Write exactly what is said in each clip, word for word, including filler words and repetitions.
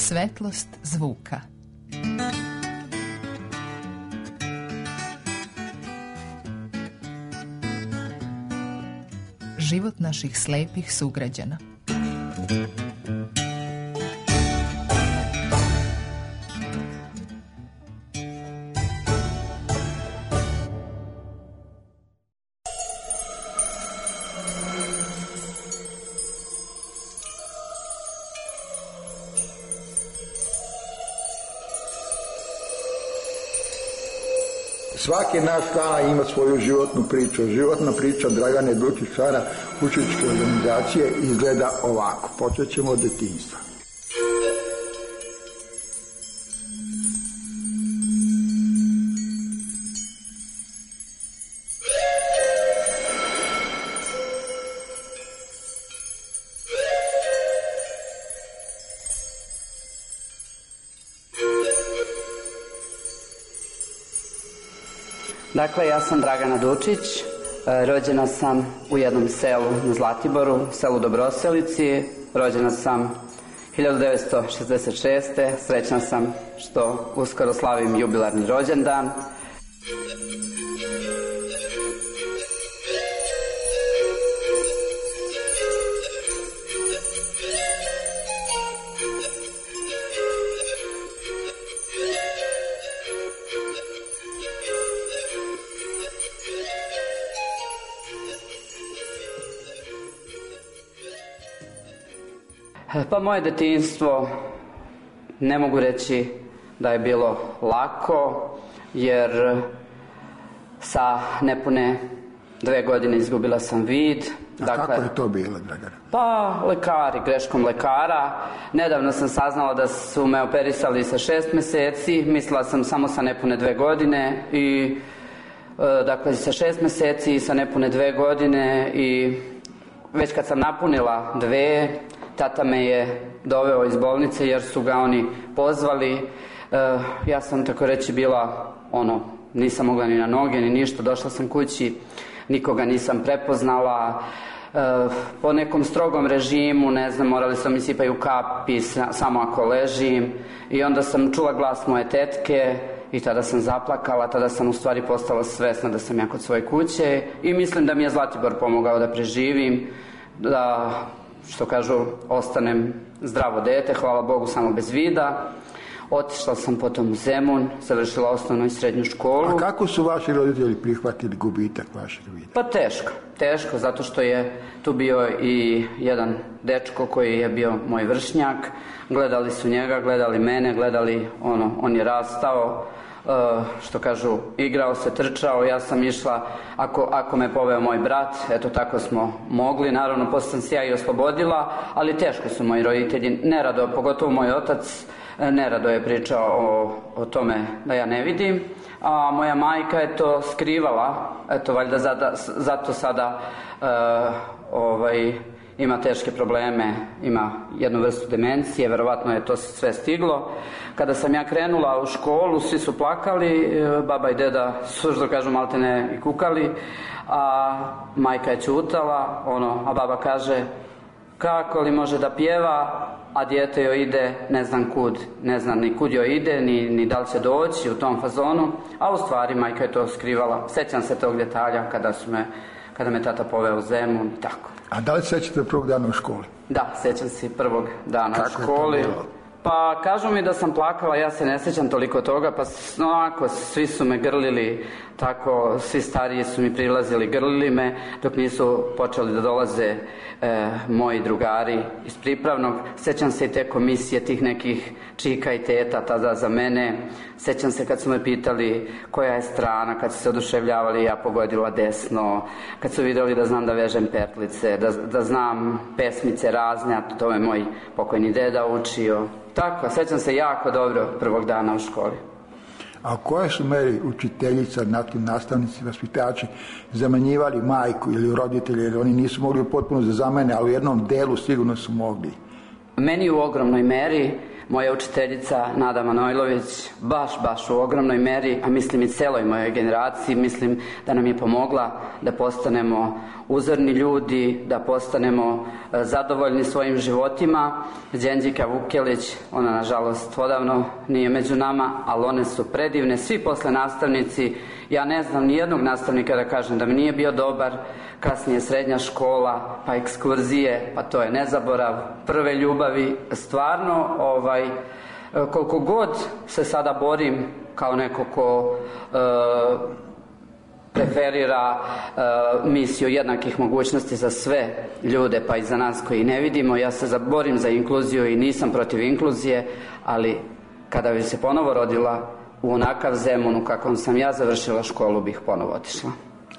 Svetlost zvuka. Život naših slepih sugrađana. Svaki naš član ima svoju životnu priču. Životna priča Dragane Dučić, člana učeničke organizacije, izgleda ovako. Počet ćemo od detinjstva. Dakle, ja sam Dragana Dučić, rođena sam u jednom selu na Zlatiboru, selu Dobroselici, rođena sam hiljadu devetsto šezdeset šeste. Srećna sam što uskoro slavim jubilarni rođendan. Pa moje detinjstvo ne mogu reći da je bilo lako, jer sa nepune dve godine izgubila sam vid. A dakle, kako je to bilo, Dragana? Pa lekari, greškom lekara. Nedavno sam saznala da su me operisali sa šest meseci, mislila sam samo sa nepune dve godine i dakle sa šest meseci i sa nepune dve godine i već kad sam napunila dve, tata me je doveo iz bolnice jer su ga oni pozvali. E, ja sam tako reći bila, ono, nisam mogla ni na noge ni ništa, došla sam kući, nikoga nisam prepoznala. E, po nekom strogom režimu, ne znam, morali su mi sipaju kapi samo ako ležim i onda sam čula glas moje tetke i tada sam zaplakala, tada sam u stvari postala svesna da sam ja kod svoje kuće i mislim da mi je Zlatibor pomogao da preživim, da, što kažu, ostanem zdravo dete, hvala Bogu, samo bez vida. Otišla sam potom u Zemun, završila osnovnu i srednju školu. A kako su vaši roditelji prihvatili gubitak vašeg vida? Pa teško, teško, zato što je tu bio i jedan dečko koji je bio moj vršnjak. Gledali su njega, gledali mene, gledali, ono, on je rastao, uh, što kažu, igrao se, trčao, ja sam išla, ako, ako me poveo moj brat, eto tako smo mogli, naravno posle sam se ja i oslobodila, ali teško su moji roditelji, nerado, pogotovo moj otac, nerado je pričao o, o tome da ja ne vidim, a moja majka je to skrivala, eto valjda zada, zato sada uh, ovaj, ima teške probleme, ima jednu vrstu demencije, verovatno je to sve stiglo. Kada sam ja krenula u školu, svi su plakali, baba i deda su, što kažu, maltene i kukali, a majka je ćutala, ono, a baba kaže, kako li može da pjeva, a dijete joj ide ne znam kud, ne znam ni kud joj ide, ni, ni da li će doći u tom fazonu, a u stvari majka je to skrivala. Sećam se tog detalja kada su me, kada me tata poveo u Zemun i tako. A da li sećate prvog dana u školi? Da, sećam se prvog dana kako u školi. Je to bilo? Pa kažu mi da sam plakala, ja se ne sećam toliko toga, pa onako svi su me grlili, tako svi stariji su mi prilazili, grlili me dok nisu počeli da dolaze e, moji drugari iz pripravnog. Sećam se i te komisije tih nekih čika i teta tada za mene. Sećam se kad su me pitali koja je strana, kad su se oduševljavali, ja pogodila desno, kad su vidjeli da znam da vežem petlice, da, da znam pesmice razne, a to me moj pokojni deda učio. Tako, sećam se jako dobro prvog dana u školi. A u kojoj su meri učiteljica, nastavnici, vaspitači zamenjivali majku ili roditelje, jer oni nisu mogli potpuno da zamene, ali u jednom delu sigurno su mogli? Meni u ogromnoj meri, moja učiteljica Nada Manojlović baš, baš u ogromnoj meri, a mislim i celoj mojoj generaciji, mislim da nam je pomogla da postanemo uzorni ljudi, da postanemo zadovoljni svojim životima. Đenđika Vukelić, ona nažalost odavno nije među nama, ali one su predivne. Svi posle nastavnici, ja ne znam ni jednog nastavnika da kažem da mi nije bio dobar. Kasnije srednja škola, pa ekskurzije, pa to je nezaborav, prve ljubavi. Stvarno, ovaj, koliko god se sada borim kao neko ko e, preferira e, misiju jednakih mogućnosti za sve ljude, pa i za nas koji ne vidimo, ja se borim za inkluziju i nisam protiv inkluzije, ali kada bi se ponovo rodila u onakav Zemunu kakvom sam ja završila školu, bih ponovo otišla.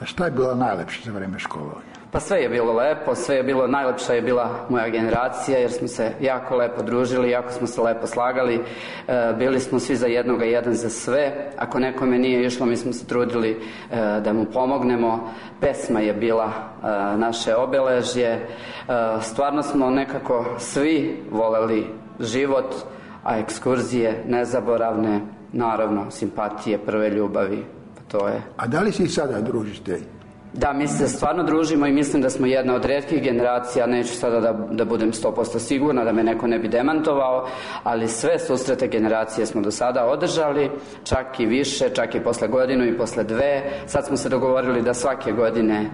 A šta je bilo najlepše za vreme školovanja? Pa sve je bilo lepo, sve je bilo, najlepša je bila moja generacija, jer smo se jako lepo družili, jako smo se lepo slagali, e, bili smo svi za jednoga, jedan za sve. Ako nekome nije išlo, mi smo se trudili e, da mu pomognemo. Pesma je bila e, naše obeležje. E, stvarno smo nekako svi voleli život, a ekskurzije nezaboravne, naravno, simpatije, prve ljubavi. To je. A da li se i sada družite? Da, mi se stvarno družimo i mislim da smo jedna od retkih generacija, neću sada da, da budem sto posto sigurna, da me neko ne bi demantovao, ali sve susrete generacije smo do sada održali, čak i više, čak i posle godinu i posle dve. Sad smo se dogovorili da svake godine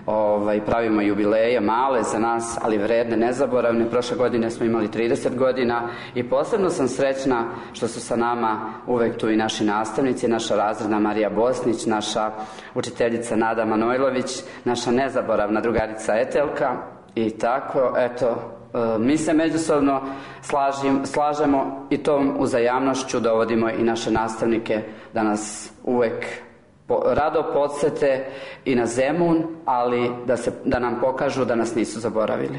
ovaj, pravimo jubileje, male za nas, ali vredne, nezaboravne. Prošle godine smo imali trideset godina i posebno sam srećna što su sa nama uvek tu i naši nastavnici, naša razredna Marija Bosnić, naša učiteljica Nada Manojlović, naša nezaboravna drugarica Etelka i tako, eto, mi se međusobno slažim, slažemo i tom uzajamnošću dovodimo i naše nastavnike da nas uvek rado podsete i na Zemun, ali da, se, da nam pokažu da nas nisu zaboravili.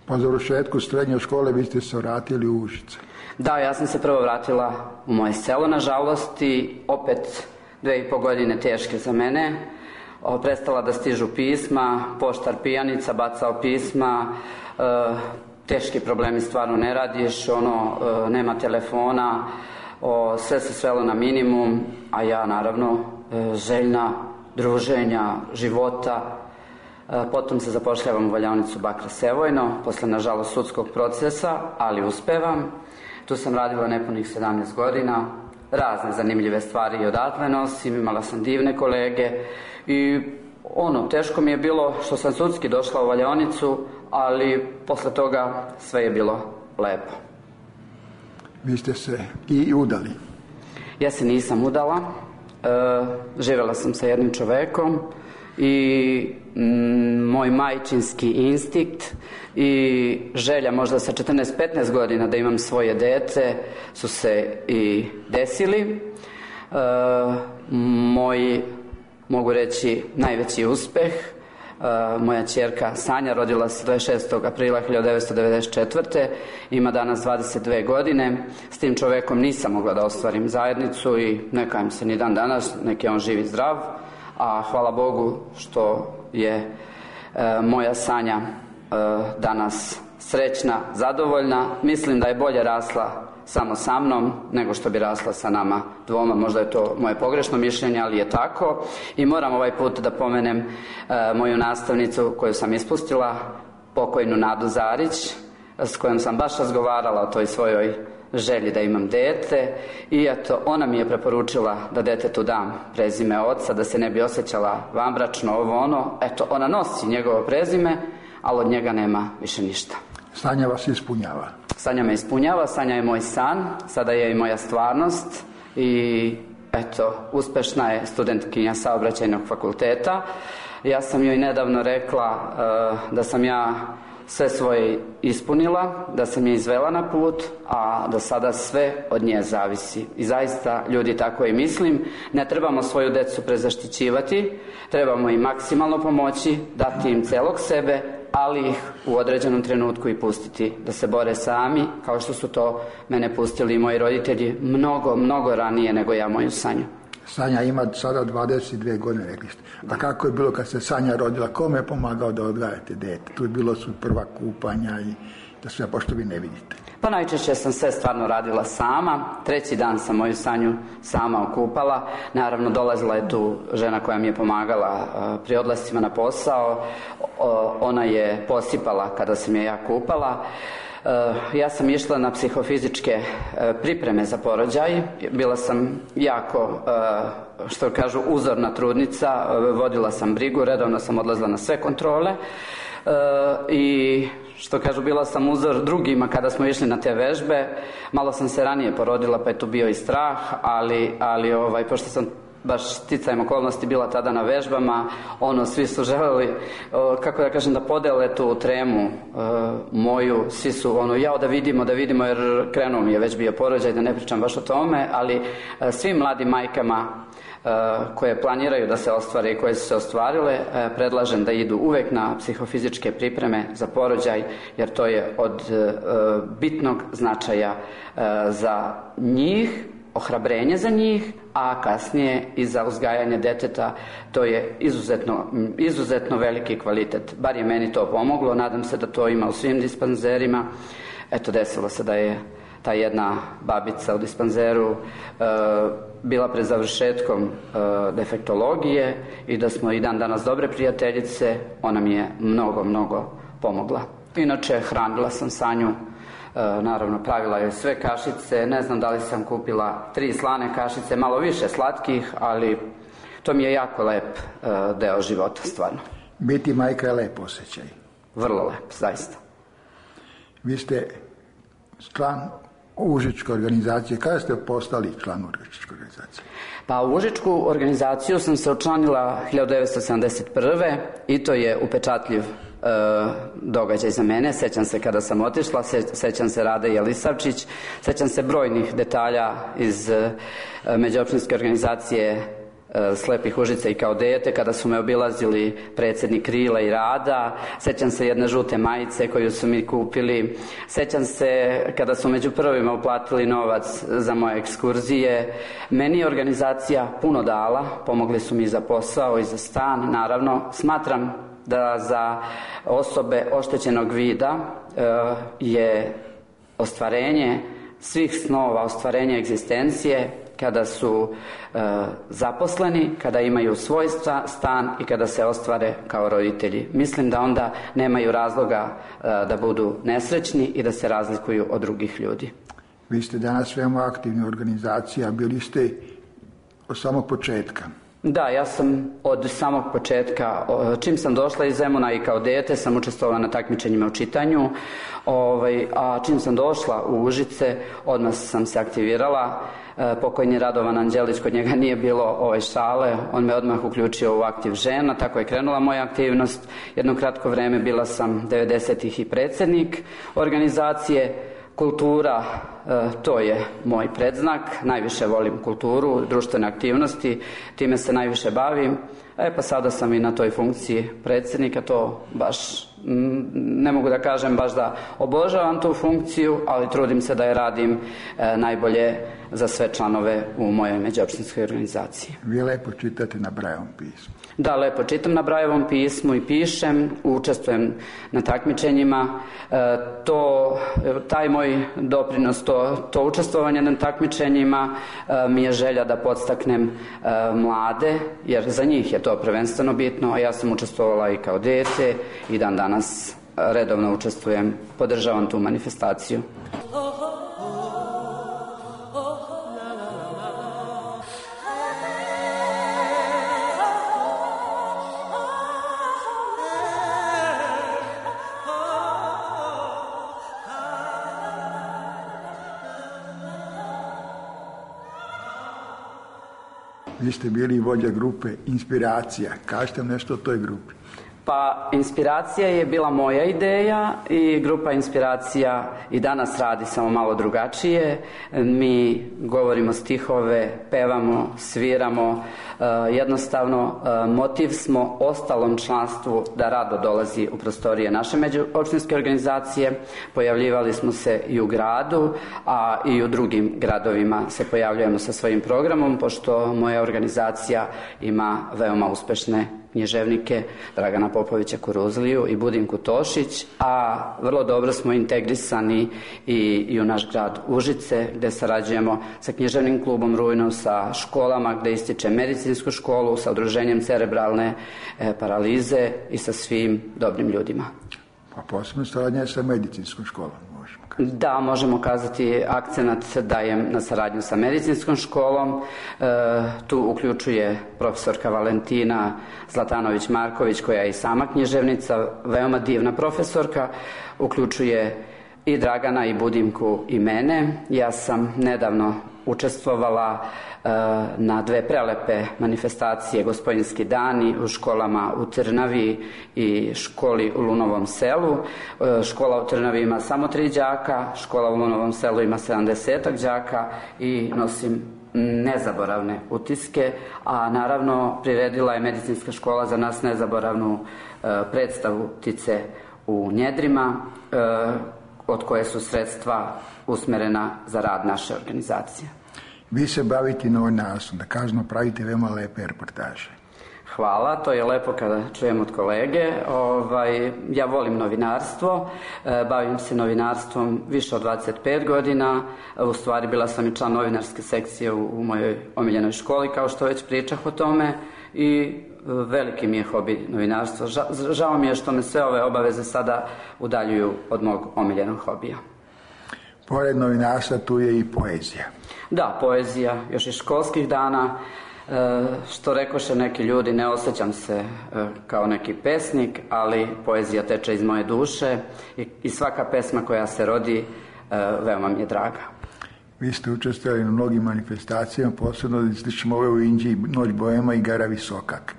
Po završetku srednje škole vi ste se vratili u Užice. Da, ja sam se prvo vratila u moje selo, nažalost, i opet dve i po godine teške za mene. O, prestala da stižu pisma, poštar pijanica, bacao pisma, e, teški problemi, stvarno ne radiš, ono, e, nema telefona, o, sve se svelo na minimum, a ja naravno e, željna druženja, života. E, potom se zapošljavam u valjaonicu Bakra Sevojno, posle nažalost sudskog procesa, ali uspevam. Tu sam radila nepunih sedamnaest godina, razne zanimljive stvari i odatle nosim, imala sam divne kolege i ono, teško mi je bilo što sam sudski došla u valjaonicu, ali posle toga sve je bilo lepo. Vi ste se i udali? Ja se nisam udala, e, živjela sam sa jednim čovekom i mm, moj majčinski instinkt i želja možda sa četrnaest petnaest godina da imam svoje dete su se i desili. E, moj, mogu reći, najveći uspeh, Uh, moja ćerka Sanja rodila se dvadeset šestog aprila hiljadu devetsto devedeset četvrte ima danas dvadeset dve godine. S tim čovekom nisam mogla da ostvarim zajednicu i ne kajem se ni dan danas, nek je on živ i zdrav, a hvala Bogu što je uh, moja Sanja uh, danas srećna, zadovoljna. Mislim da je bolje rasla samo sa mnom nego što bi rasla sa nama dvoma. Možda je to moje pogrešno mišljenje, ali je tako. I moram ovaj put da pomenem e, moju nastavnicu koju sam ispustila, pokojnu Nadu Zarić, s kojom sam baš razgovarala o toj svojoj želji da imam dete i eto, ona mi je preporučila da detetu dam prezime oca, da se ne bi osjećala vanbračno, ovo ono. Eto, ona nosi njegovo prezime, ali od njega nema više ništa. Sanja vas ispunjava? Sanja me ispunjava, Sanja je moj san, sada je i moja stvarnost i eto, uspešna je studentkinja Saobraćajnog fakulteta. Ja sam joj nedavno rekla uh, da sam ja sve svoje ispunila, da sam je izvela na put, a da sada sve od nje zavisi. I zaista, ljudi, tako i mislim, ne trebamo svoju decu prezaštićivati, trebamo im maksimalno pomoći, dati im celog sebe, ali ih u određenom trenutku i pustiti da se bore sami, kao što su to mene pustili i moji roditelji mnogo, mnogo ranije nego ja moju Sanju. Sanja ima sada dvadeset dve godine, rekli ste. A kako je bilo kad se Sanja rodila? Kome je pomagao da odgajate dete? Tu je bilo su prva kupanja i radite sve, pošto vi ne vidite? Pa najčešće sam sve stvarno radila sama. Treći dan sam moju Sanju sama okupala. Naravno, dolazila je tu žena koja mi je pomagala pri odlascima na posao. Ona je posipala kada sam je ja kupala. Ja sam išla na psihofizičke pripreme za porođaj. Bila sam jako, što kažu, uzorna trudnica. Vodila sam brigu, redovno sam odlazila na sve kontrole. I što kažu, bila sam uzor drugima kada smo išli na te vežbe. Malo sam se ranije porodila, pa je tu bio i strah, ali, ali ovaj, pošto sam baš sticajem okolnosti bila tada na vežbama, ono, svi su želeli, kako da kažem, da podele tu tremu moju, svi su, ono, jao da vidimo, da vidimo, jer krenuo mi je već bio porođaj, da ne pričam baš o tome, ali svim mladim majkama koje planiraju da se ostvare i koje su se ostvarile, predlažem da idu uvek na psihofizičke pripreme za porođaj, jer to je od bitnog značaja za njih, ohrabrenje za njih, a kasnije i za uzgajanje deteta. To je izuzetno, izuzetno veliki kvalitet. Bar je meni to pomoglo, nadam se da to ima u svim dispanzerima. Eto, desilo se da je ta jedna babica u dispanzeru e, bila pred završetkom e, defektologije i da smo i dan danas dobre prijateljice. Ona mi je mnogo, mnogo pomogla. Inače, hranila sam Sanju, e, naravno pravila je sve kašice, ne znam da li sam kupila tri slane kašice, malo više slatkih, ali to mi je jako lep e, deo života, stvarno. Biti majka je lep osjećaj. Vrlo lep, zaista. Vi ste član Užičke organizacije. Kada ste postali član Užičke organizacije? Pa u Užičku organizaciju sam se učlanila hiljadu devetsto sedamdeset prve i to je upečatljiv e, događaj za mene. Sećam se kada sam otišla, se, sećam se Rade Jelisavčić, sećam se brojnih detalja iz e, međuopštinske organizacije Slepih Užica i kao dete, kada su me obilazili predsjednik Krila i Rada. Sećam se jedne žute majice koju su mi kupili. Sećam se kada su među prvima uplatili novac za moje ekskurzije. Meni je organizacija puno dala, pomogli su mi za posao i za stan. Naravno, smatram da za osobe oštećenog vida je ostvarenje svih snova, ostvarenje egzistencije kada su e, zaposleni, kada imaju svoj stan i kada se ostvare kao roditelji. Mislim da onda nemaju razloga e, da budu nesrećni i da se razlikuju od drugih ljudi. Vi ste danas veoma aktivna organizacija, bili ste od samog početka. Da, ja sam od samog početka, čim sam došla iz Zemuna i kao dete sam učestvovala na takmičenjima u čitanju, ovaj, a čim sam došla u Užice, odmah sam se aktivirala. Pokojni Radovan Anđelić, kod njega nije bilo ovaj šale, on me odmah uključio u aktiv žena, tako je krenula moja aktivnost. Jedno kratko vreme bila sam devedesetih i predsjednik organizacije. Kultura, to je moj predznak, najviše volim kulturu, društvene aktivnosti, time se najviše bavim. E pa sada sam i na toj funkciji predsjednika, to baš ne mogu da kažem baš da obožavam tu funkciju, ali trudim se da je radim najbolje za sve članove u mojoj međuopštinskoj organizaciji. Vi lepo čitate na Brajevom pismu. Da, lepo čitam na Brajevom pismu i pišem, učestvujem na takmičenjima. E, to, taj moj doprinos, to, to učestvovanje na takmičenjima e, mi je želja da podstaknem e, mlade, jer za njih je to prvenstveno bitno, a ja sam učestvovala i kao dete i dan danas redovno učestvujem, podržavam tu manifestaciju. Vi ste bili vođa grupe Inspiracija. Kažete nešto o toj grupi? Pa Inspiracija je bila moja ideja i grupa Inspiracija i danas radi samo malo drugačije. Mi govorimo stihove, pevamo, sviramo, jednostavno motiv smo ostalom članstvu da rado dolazi u prostorije naše međuopštinske organizacije. Pojavljivali smo se i u gradu, a i u drugim gradovima se pojavljujemo sa svojim programom, pošto moja organizacija ima veoma uspešne književnike Dragana Popovića Kuruzliju i Budimku Tošić, a vrlo dobro smo integrisani i, i u naš grad Užice, gde sarađujemo sa književnim klubom Rujno, sa školama gde ističe medicinsku školu, sa udruženjem cerebralne e, paralize i sa svim dobrim ljudima. A posebno saradnja sa medicinskom školom, možemo kazati. Da, možemo kazati, akcenat dajem na saradnju sa medicinskom školom. E, tu uključuje profesorka Valentina Zlatanović-Marković, koja je i sama književnica, veoma divna profesorka, uključuje i Dragana i Budimku i mene. Ja sam nedavno učestvovala e, na dve prelepe manifestacije Gospodinski dani u školama u Trnavi i školi u Lunovom selu. E, škola u Trnavi ima samo tri đaka, škola u Lunovom selu ima sedamdesetak đaka i nosim nezaboravne utiske, a naravno priredila je medicinska škola za nas nezaboravnu e, predstavu Ptice u njedrima, e, od koje su sredstva usmerena za rad naše organizacije. Vi se bavite novinarstvom, da kažemo pravite veoma lepe reportaže. Hvala, to je lepo kada čujem od kolege. Ovaj, ja volim novinarstvo, e, bavim se novinarstvom više od dvadeset pet godina, u stvari bila sam i član novinarske sekcije u, u mojoj omiljenoj školi, kao što već pričah o tome, i veliki mi je hobi novinarstvo. Ža, žao mi je što me sve ove obaveze sada udaljuju od mog omiljenog hobija. Pored novinarstva tu je i poezija. Da, poezija, još iz školskih dana. E, što rekoše neki ljudi, ne osjećam se e, kao neki pesnik, ali poezija teče iz moje duše i, i svaka pesma koja se rodi e, veoma mi je draga. Vi ste učestvovali na mnogim manifestacijama, posebno da ističemo ove u Inđiji, Noć Boema i Gara Visokak.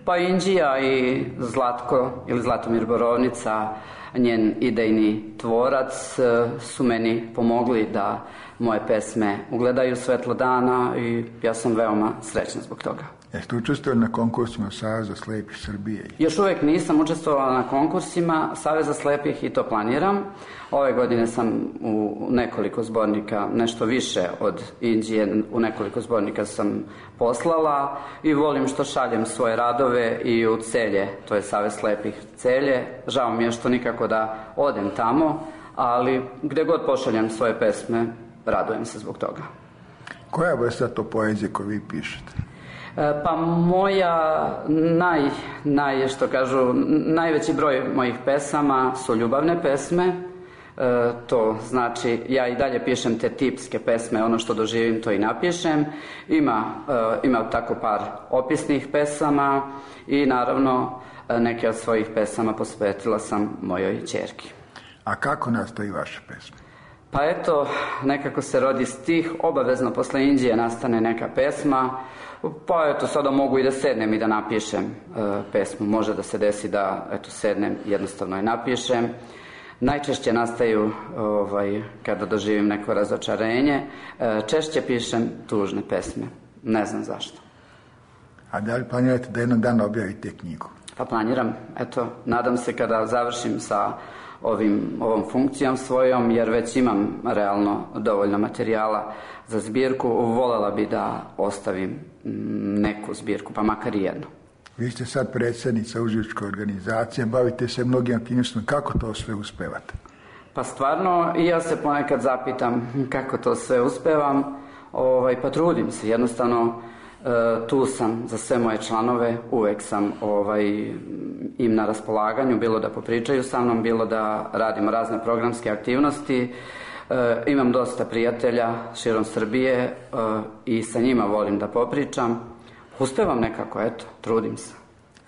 Pa Inđija i Zlatko ili Zlatomir Borovnica, njen idejni tvorac, su meni pomogli da moje pesme ugledaju svetlo dana i ja sam veoma srećna zbog toga. Jeste učestvovali na konkursima Saveza slepih Srbije? Još uvek nisam učestvovala na konkursima Saveza slepih i to planiram. Ove godine sam u nekoliko zbornika, nešto više od Inđije, u nekoliko zbornika sam poslala i volim što šaljem svoje radove i u Celje, to je Savez slepih Celje. Žao mi je što nikako da odem tamo, ali gde god pošaljem svoje pesme, radujem se zbog toga. Koja je vrsta to poezije koju vi pišete? Pa moja naj, naj, što kažu, najveći broj mojih pesama su ljubavne pesme. E, to znači, ja i dalje pišem te tipske pesme, ono što doživim to i napišem. Ima, e, ima tako par opisnih pesama i naravno neke od svojih pesama posvetila sam mojoj ćerki. A kako nastaju vaše pesme? Pa eto, nekako se rodi stih, obavezno posle Inđije nastane neka pesma, pa eto, sada mogu i da sednem i da napišem e, pesmu. Može da se desi da, eto, sednem, jednostavno i napišem. Najčešće nastaju ovaj, kada doživim neko razočarenje. E, češće pišem tužne pesme. Ne znam zašto. A da li planirate da jednog dana objavite knjigu? Pa planiram, eto, nadam se kada završim sa ovim, ovom funkcijom svojom, jer već imam realno dovoljno materijala za zbirku, voljela bi da ostavim neku zbirku, pa makar i jednu. Vi ste sad predsjednica užičke organizacije, bavite se mnogim aktivnostima, kako to sve uspevate? Pa stvarno, i ja se ponekad zapitam kako to sve uspevam, ovaj, pa trudim se, jednostavno e, tu sam za sve moje članove, uvek sam ovaj, im na raspolaganju, bilo da popričaju sa mnom, bilo da radimo razne programske aktivnosti. E, imam dosta prijatelja širom Srbije e, i sa njima volim da popričam. Uspevam nekako, eto, trudim se.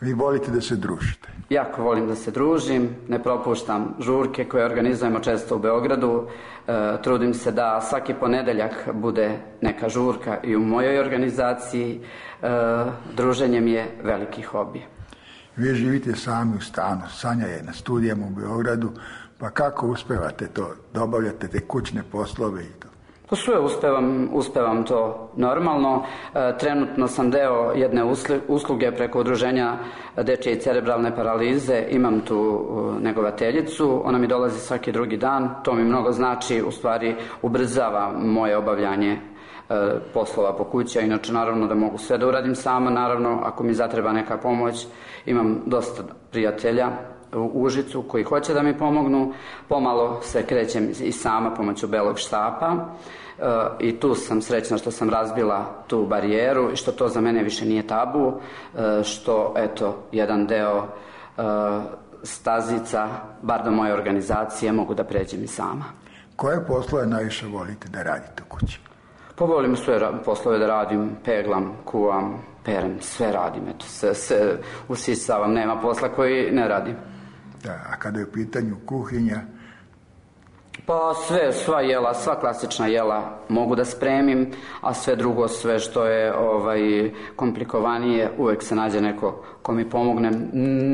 Vi volite da se družite? Jako volim da se družim, ne propuštam žurke koje organizujemo često u Beogradu. E, trudim se da svaki ponedeljak bude neka žurka i u mojoj organizaciji. E, druženje mi je veliki hobi. Vi živite sami u stanu, Sanja je na studijama u Beogradu, pa kako uspevate to, da obavljate te kućne poslove i to? Pa sve uspevam, uspevam to normalno. E, trenutno sam deo jedne usluge preko udruženja dečje i cerebralne paralize. Imam tu uh, negovateljicu, ona mi dolazi svaki drugi dan. To mi mnogo znači, u stvari ubrzava moje obavljanje poslova po kući, a inače naravno da mogu sve da uradim sama, naravno ako mi zatreba neka pomoć, imam dosta prijatelja u Užicu koji hoće da mi pomognu, pomalo se krećem i sama pomoću belog štapa e, i tu sam srećna što sam razbila tu barijeru i što to za mene više nije tabu, e, što eto jedan deo e, stazica, bar do moje organizacije, mogu da pređem i sama. Koje poslove najviše volite da radite u kući? Pa volim sve poslove da radim, peglam, kuvam, perem, sve radim, eto, sve, sve usisavam, nema posla koji ne radim. Da, a kada je u pitanju kuhinja? Pa sve, sva jela, sva klasična jela mogu da spremim, a sve drugo, sve što je ovaj, komplikovanije, uvek se nađe neko ko mi pomogne.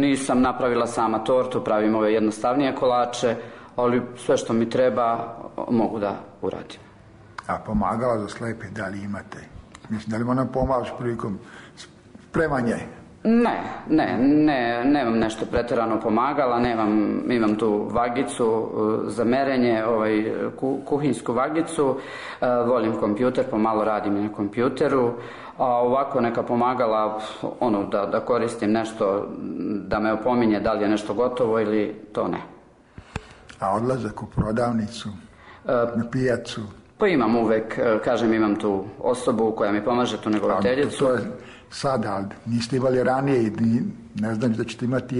Nisam napravila sama tortu, pravim ove jednostavnije kolače, ali sve što mi treba mogu da uradim. A pomagala za slepe, da li imate? Mislim, da li ona pomažeš prilikom spremanja? Ne, ne, ne, nemam nešto pretjerano pomagala, nemam, imam tu vagicu uh, za merenje, ovaj, ku, kuhinsku vagicu, uh, volim kompjuter, pomalo radim i na kompjuteru, a ovako neka pomagala, ono, da, da koristim nešto, da me opominje da li je nešto gotovo ili to ne. A odlazak u prodavnicu, uh, na pijacu? Pa imam uvek, kažem, imam tu osobu koja mi pomaže, tu negovateljicu. To je sada, ali niste imali ranije i ne znam da ćete imati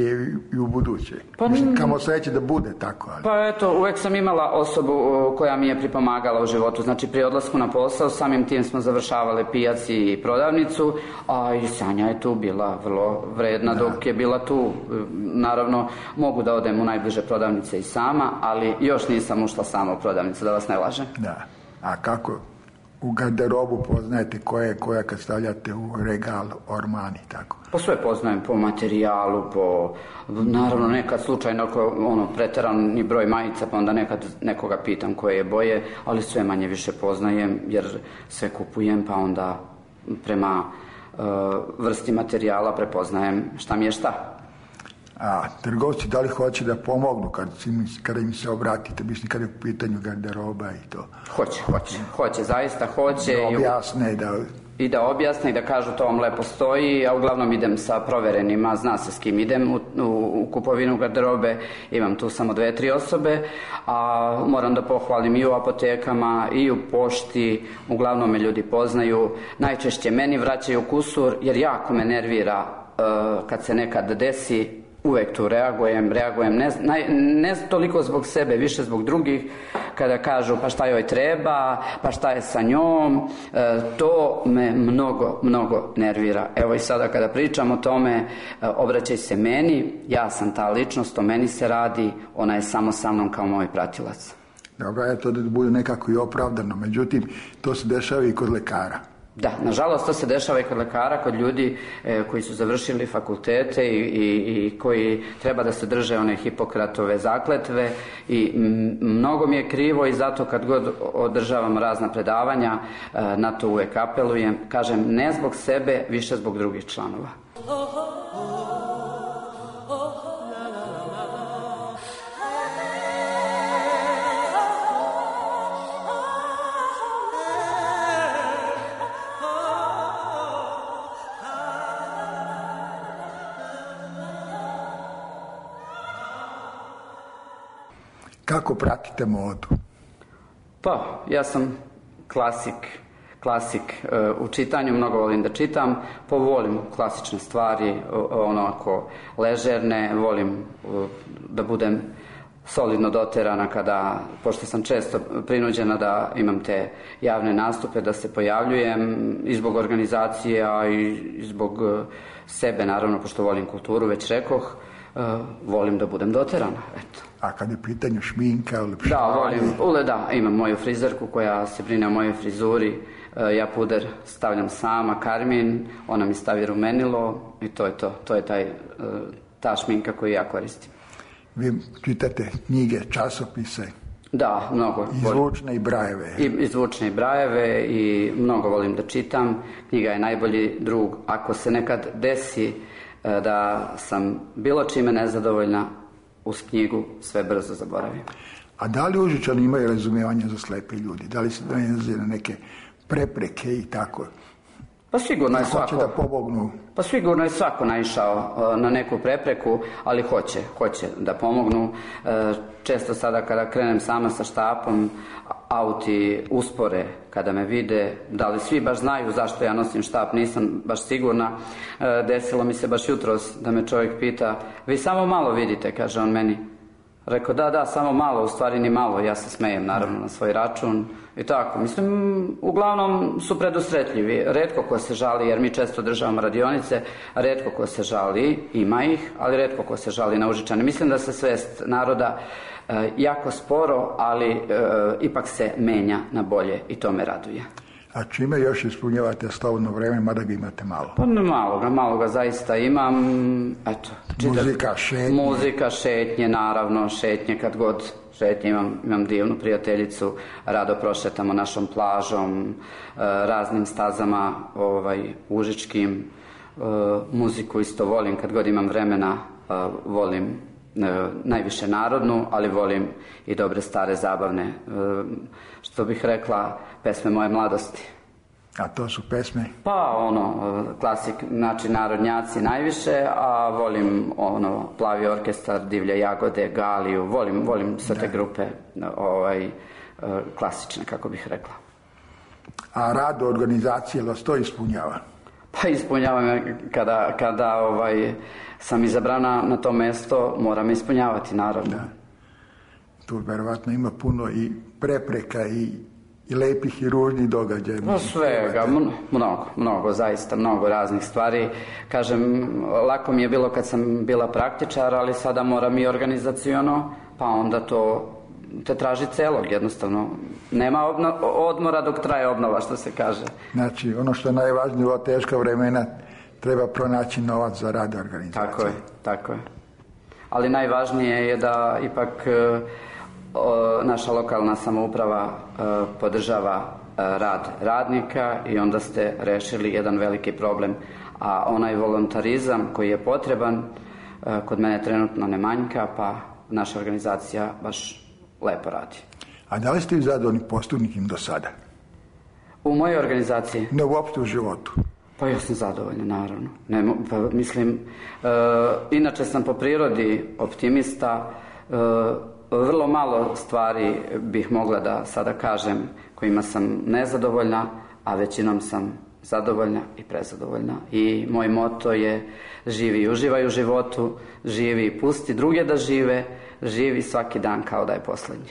i u buduće. Pa, mislim, kamo sreće da bude tako. Ali. Pa eto, uvek sam imala osobu koja mi je pripomagala u životu. Znači, pri odlasku na posao, samim tim smo završavali pijac i prodavnicu, a i Sanja je tu bila vrlo vredna, da. Dok je bila tu. Naravno, mogu da odem u najbliže prodavnice i sama, ali još nisam ušla sama u prodavnicu, da vas ne lažem. Da. A kako u garderobu poznajete koja je koja kad stavljate u regal, orman i tako? Pa sve poznajem po materijalu, po naravno nekad slučajno ono, preterani broj majica, pa onda nekad nekoga pitam koje je boje, ali sve manje više poznajem jer sve kupujem, pa onda prema uh, vrsti materijala prepoznajem šta mi je šta. A trgovci da li hoće da pomognu kad, kada im se obratite, mislim kada je u pitanju garderoba i to? Hoće, hoće, hoće, zaista hoće. Da objasne, da... I da objasne i da kažu to vam lepo stoji, a uglavnom idem sa proverenima, zna se s kim idem u, u, u kupovinu garderobe, imam tu samo dve, tri osobe, a moram da pohvalim i u apotekama i u pošti, uglavnom me ljudi poznaju, najčešće meni vraćaju kusur jer jako me nervira uh, kad se nekad desi. Uvek tu reagujem, reagujem ne, ne, ne toliko zbog sebe, više zbog drugih, kada kažu pa šta joj treba, pa šta je sa njom, e, to me mnogo, mnogo nervira. Evo i sada kada pričam o tome, e, obraćaj se meni, ja sam ta ličnost, o meni se radi, ona je samo sa mnom kao moj pratilac. Dobro, je to da bude nekako i opravdano, međutim, to se dešava i kod lekara. Da, nažalost to se dešava i kod lekara, kod ljudi e, koji su završili fakultete i, i, i koji treba da se drže one Hipokratove zakletve i m, mnogo mi je krivo i zato kad god održavam razna predavanja e, na to uvek apelujem, kažem ne zbog sebe, više zbog drugih članova. Kako pratite modu? Pa, ja sam klasik, klasik uh, u čitanju, mnogo volim da čitam, pa volim klasične stvari, onako ležerne, volim uh, da budem solidno doterana kada, pošto sam često prinuđena da imam te javne nastupe, da se pojavljujem i zbog organizacije, a i zbog uh, sebe, naravno, pošto volim kulturu, već rekoh, uh, volim da budem doterana, eto. A kad je pitanje šminka, ulepšavanje? Da, volim, ule, da, imam moju frizerku koja se brine o mojoj frizuri, e, ja puder stavljam sama, karmin, ona mi stavi rumenilo i to je to, to je taj, e, ta šminka koju ja koristim. Vi čitate knjige, časopise? Da, mnogo. I zvučne i brajeve? I, i zvučne i brajeve i mnogo volim da čitam, knjiga je najbolji drug. Ako se nekad desi e, da sam bilo čime nezadovoljna, uz knjigu sve brzo zaboravim. A da li Užičani imaju razumijevanje za slepe ljudi? Da li se nalaze na neke prepreke i tako. Pa sigurno je svako. Hoće da pomognu. Pa sigurno je svako naišao na neku prepreku, ali hoće, hoće da pomognu. Često sada kada krenem sama sa štapom, auti uspore kada me vide, da li svi baš znaju zašto ja nosim štap, nisam baš sigurna. Desilo mi se baš jutros da me čovjek pita, vi samo malo vidite, kaže on meni. Rekao, da, da, samo malo, u stvari ni malo, ja se smejem naravno na svoj račun i tako. Mislim, uglavnom su predusretljivi, retko ko se žali, jer mi često državamo radionice, retko ko se žali, ima ih, ali retko ko se žali na Užičane. Mislim da se svest naroda e, jako sporo, ali e, ipak se menja na bolje i to me raduje. A čime još ispunjavate slobodno vreme, mada ga imate malo? Pa ne malo ga, malo ga zaista imam, eto. Čitav, muzika, šetnje. Muzika, šetnje, naravno, šetnje kad god šetnje, imam, imam divnu prijateljicu, rado prošetamo našom plažom, raznim stazama, ovaj, užičkim, muziku isto volim, kad god imam vremena, volim najviše narodnu, ali volim i dobre stare zabavne, što bih rekla, pesme moje mladosti. A to su pesme? Pa ono, klasik, znači narodnjaci najviše, a volim ono, Plavi orkestar, Divlje jagode, Galiju, volim, volim sve te grupe ovaj, klasične, kako bih rekla. A rad organizacije vas to ispunjava? Pa ispunjava kada, kada ovaj, sam izabrana na to mesto, moram ispunjavati, naravno. Da. Tu verovatno ima puno i prepreka i, i lepih i ružnih događaja. No svega, mnogo, mnogo, zaista mnogo raznih stvari. Kažem, lako mi je bilo kad sam bila praktičar, ali sada moram i organizaciono, pa onda to te traži celog, jednostavno. Nema obno, odmora dok traje obnova, što se kaže. Znači, ono što je najvažnije u ova teška vremena, treba pronaći novac za rad organizacije. Tako je, tako je. Ali najvažnije je da ipak o, naša lokalna samouprava o, podržava o, rad radnika i onda ste rešili jedan veliki problem. A onaj volontarizam koji je potreban, o, kod mene trenutno ne manjka, pa naša organizacija baš lepo radi. A da li ste zadovoljni postupnikim do sada? U mojoj organizaciji? Ne, uopšte u životu. Pa ja sam zadovoljna, naravno. Ne, pa, mislim, e, inače sam po prirodi optimista, e, vrlo malo stvari bih mogla da sada kažem kojima sam nezadovoljna, a većinom sam zadovoljna i prezadovoljna. I moj moto je živi i uživaj u životu, živi i pusti druge da žive, živi svaki dan kao da je poslednji.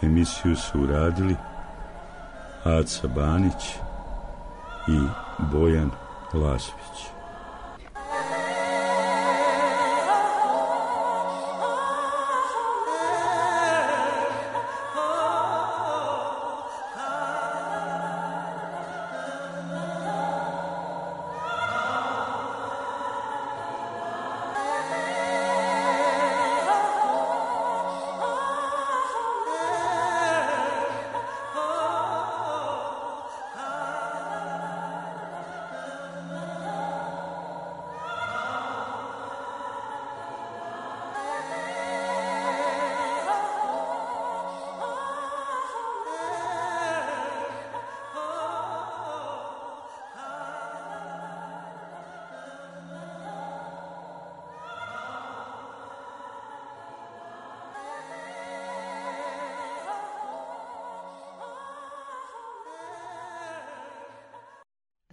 Emisiju su uradili Aca Banić i Bojan Lasović.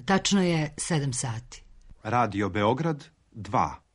Tačno je sedam sati. Radio Beograd dva.